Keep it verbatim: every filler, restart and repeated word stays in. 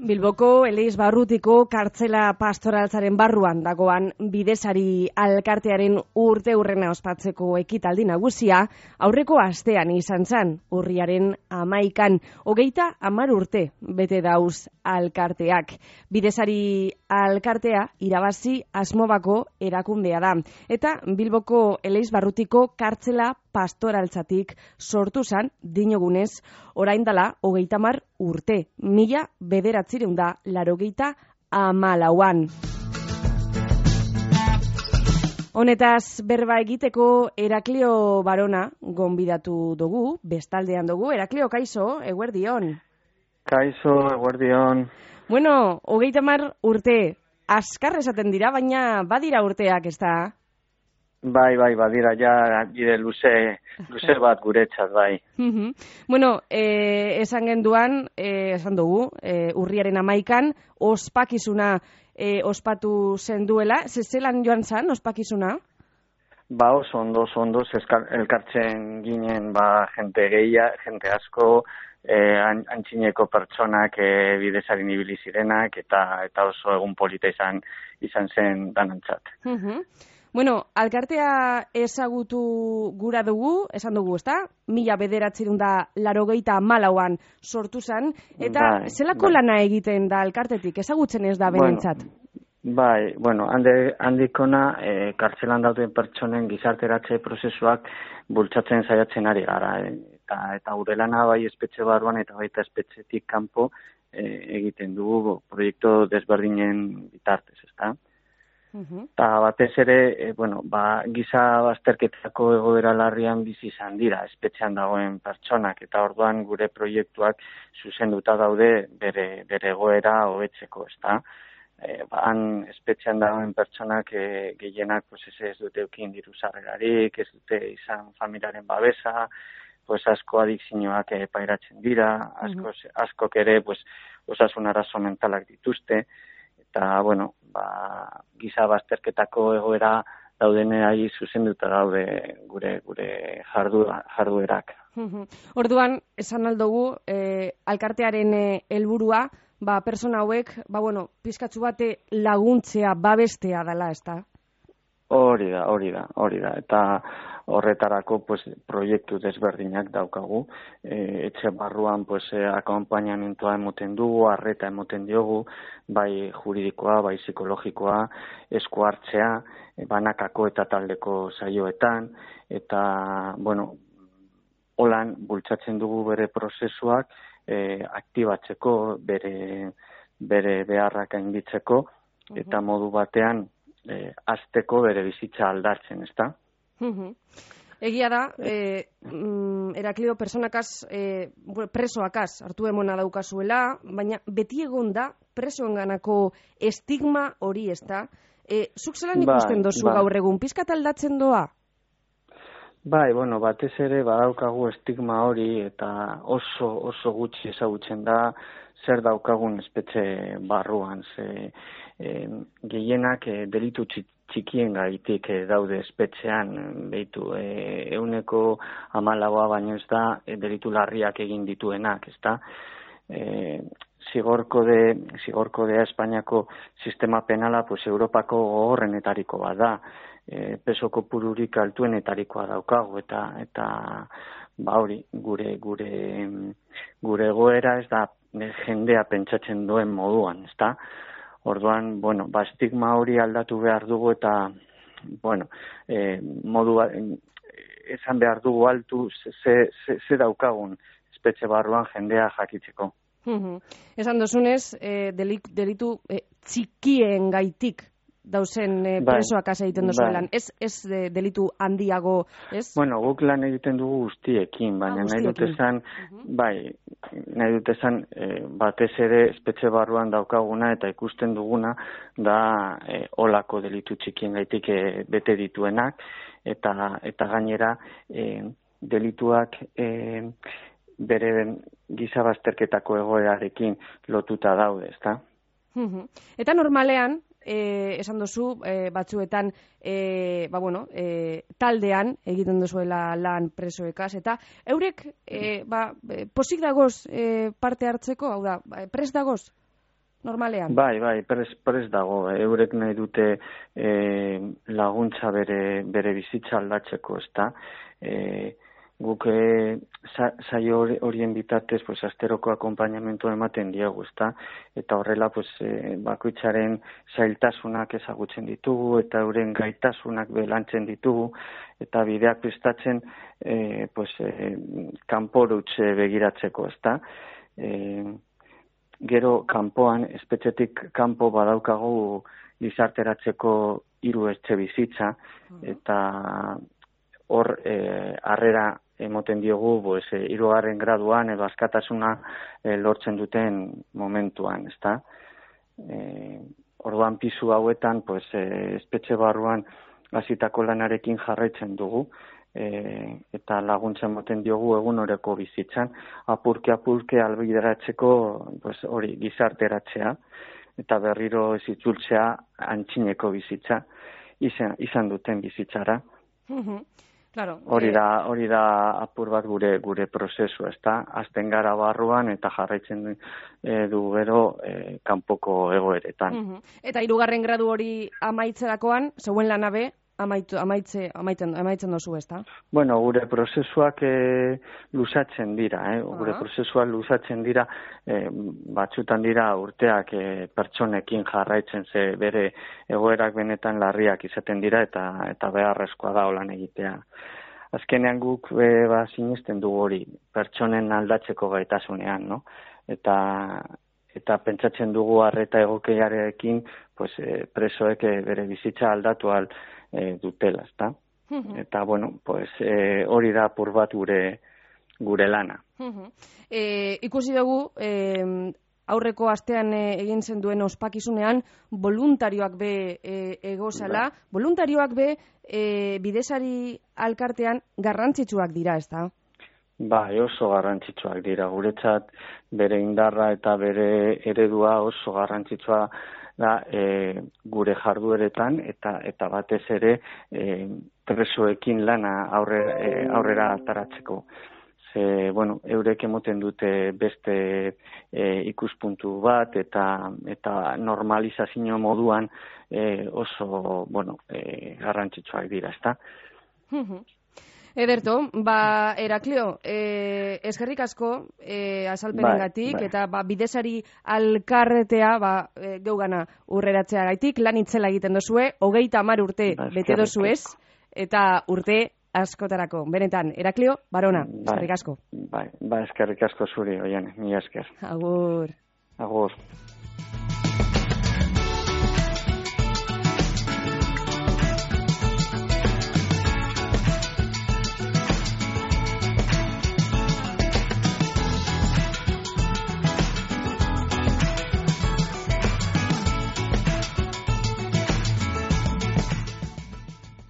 Bilboko Eleiz Barrutiko kartzela pastoraltzaren barruan dagoan Bidesari alkartearen urte hurrena ospatzeko ekitaldi nagusia aurreko astean izan zen, urriaren hamaikan, hogeita hamar urte bete dauz alkarteak. Bidesari alkartea irabazi Asmobako erakundea da, eta Bilboko Eleiz Barrutiko kartzela pastoraltzatik sortu zen, dinogunez, orain dela hogeita hamar urte, mila bederatzireun da larogeita hamalauan. Honetaz berba egiteko Heraklio Barona gonbidatu dugu, bestaldean dugu. Heraklio, kaixo, eguerdion. Kaixo, eguerdion. Bueno, hogeita hamar urte, askar esaten dira, baina badira urteak, ez da? Bai, bai, badira, ja, bide luze, luze bat guretzat, bai. Bueno, eh, esan genduan, eh, esan dugu, eh, urriaren hamaikan, ospakizuna eh, ospatu zen duela. Zelan joan zan, ospakizuna? Ba, oso ondo, oso ondo, elkartzen ginen, ba, jente gehia, jente asko, eh, antxineko pertsonak eh, Bidesarin ibili zirenak, eta, eta oso egun polita izan, izan zen danantzat. Uh-huh. Bueno, alkartea ezagutu gura dugu, esan dugu, ezta? Mila bederatzerun da larogeita hamalauan sortu zen, eta bai, zelako bai. Lana egiten da alkartetik, ezagutzen ez da benentzat? Bueno, bai, bueno, hande, handikona, e, kartzelan dauden pertsonen gizarteratze prozesuak bultzatzen saiatzen ari gara, e, eta, eta gure lana bai espetxe barruan eta baita espetxetik kanpo e, egiten dugu proiektu desberdinen bitartez, ezta? Eta uh-huh. batez ere, e, bueno, ba, giza bazterketako egoera larrian bizi izan dira, espetxean dagoen pertsonak, eta orduan gure proiektuak zuzenduta daude bere, bere egoera hobetzeko, ezta? E, ba, han espetxean dagoen pertsonak e, gehienak pues, ez, ez dute eukin diru sarrerarik, ez dute izan familiaren babesa, pues, asko adikzioak e, pairatzen dira, asko, uh-huh. askok ere pues, osasun arazo mentalak dituzte, eta, bueno, ba, giza bazterketako egoera daudenei zuzenduta daude gure gure jardu, jarduerak. Orduan, esan aldugu, eh, alkartearen helburua, eh, ba, persona hauek, ba, bueno, pizkatzu bate laguntzea, babestea dela, ez da? Hori da, hori da, hori da, eta horretarako pues, proiektu desberdinak daukagu, e, etxe barruan pues, e, akompainamentoa emoten dugu, arreta emoten diogu, bai juridikoa, bai psikologikoa, esku hartzea, e, banakako eta taldeko saioetan, eta, bueno, holan bultzatzen dugu bere prozesuak e, aktibatzeko, bere, bere beharrak gainditzeko, uh-huh. eta modu batean, E, azteko bere bizitza aldartzen, ezta? Uh-huh. Egia da, eh, mm, Heraklio personakaz, eh, presoakaz hartu emona daukazuela, baina beti egon da presoenganako estigma hori, ezta? Eh, zuk zelan ikusten ba, dozu ba. gaur egun, pizkat aldatzen doa? Bai, bueno, batez ere badaukagu estigma hori eta oso oso gutxi ezagutzen da zer daukagun espetxe barruan, ze e, gehienak e, delitu txikien gaitik e, daude espetxean, behitu, e, euneko hamalaua baino ez da e, delitu larriak egin dituenak, ez da? E, zigorkode, zigorkodea Espainiako sistema penala, pues, Europako gogorrenetariko bat da, e, peso kopururik altuenetarikoa daukagu, eta eta ba hori, gure gure gure egoera ez da jendea pentsatzen duen moduan, ezta? Orduan, bueno, ba estigma hori aldatu behar dugu eta bueno, eh modu esan behar dugu altu ze ze, ze daukagun espetxe barruan jendea jakitzeko. Uh-huh. Esan dozunez, eh, delitu eh, txikien gaitik dauzen eh, presoak asa egiten dozu lan. Ez, ez de, delitu handiago, ez? Bueno, guk lan egiten dugu guztiekin, baina ah, nahi dut esan, uh-huh. bai, nahi dut esan, eh, batez ere espetxe barruan daukaguna eta ikusten duguna da eh, olako delitu txikien gaitik eh, bete dituenak, eta eta gainera eh, delituak eh, bere giza bazterketako egoerarekin lotuta daude, ezta? Uh-huh. Eta normalean, Eh, esan duzu, eh, batzuetan eh, ba, bueno, eh, taldean egiten duzuela lan presoekaz, eta eurek eh, ba, posik dagoz eh, parte hartzeko, hau da, prest dagoz? normalean? Bai, bai, prez, prez dago. Eurek nahi dute e, laguntza bere, bere bizitza aldatzeko, ezta? E, guk e, saio horien bitartez pues, asteroko akompainamentu ematen diegu, ezta? Eta horrela pues, e, bakoitzaren zailtasunak ezagutzen ditugu eta euren gaitasunak belantzen ditugu eta bideak prestatzen e, pues, e, kanporutz begiratzeko, ezta? E, Gero kanpoan, espetxetik kanpo badaukagu gizarteratzeko hiru etxe bizitza, eta hor eh, harrera emoten diogu pues, eh, hirugarren graduan edo askatasuna eh, lortzen duten momentuan, ezta? Eh, orduan pisu hauetan, pues, eh, espetxe barruan hasitako lanarekin jarraitzen dugu, E, eta laguntza ematen diogu egunoreko bizitzan, apurke apurke albideratzeko pues, hori gizarteratzea eta berriro ez itzultzea antzineko bizitza izan, izan duten bizitzara. Claro, hori da hori da apur bat gure gure prozesu, ezta? Hasten gara barruan eta jarraitzen e, du gero e, kanpoko egoeretan. Eta hirugarren gradu hori amaitzerakoan, zeuen lanabe Amaitu, amaitze, amaiten, amaitzen dozu, ezta? Bueno, gure prozesuak e, luzatzen dira, eh? Gure uh-huh. prozesuak luzatzen dira, e, batzutan dira urteak e, pertsonekin jarraitzen ze bere egoerak benetan larriak izaten dira eta eta beharrezkoa da holan egitea. Azkenean guk e, ba, sinesten dugu hori pertsonen aldatzeko gaitasunean, no? Eta eta pentsatzen dugu arreta egokiarekin pues, e, presoek e, bere bizitza aldatu al E, dutela, ezta? Uh-huh. Eta, bueno, pues, e, hori da apur bat gure, gure lana. Uh-huh. E, ikusi dugu, e, aurreko astean e, egin zen duen ospakizunean, voluntarioak be e, egozala, bai. Voluntarioak be e, bidesari alkartean garrantzitsuak dira, ezta? Bai, oso garrantzitsuak dira. Guretzat bere indarra eta bere eredua oso garrantzitsua da e, gure jardueretan eta eta batez ere e, presoekin lana aurrera, e, aurrera ataratzeko. Ze, bueno, eurek emoten dute beste e, ikuspuntu bat eta eta normalizazio moduan e, oso, bueno, e, garrantzitsuak dira, ezta? Ederto, ba, Heraklio, eh, eskerrik asko eh, azalpenengatik bai, bai. Eta ba, bidesari alkarretea ba, e, geugana urreratzea gaitik, lan itzela egiten dozue, hogeita hamar urte ba, bete dozuez, eta urte askotarako. Benetan, Heraklio, Barona, bai, eskerrik asko. Bai, ba, eskerrik asko zuri, oian, mi esker. Agur. Agur.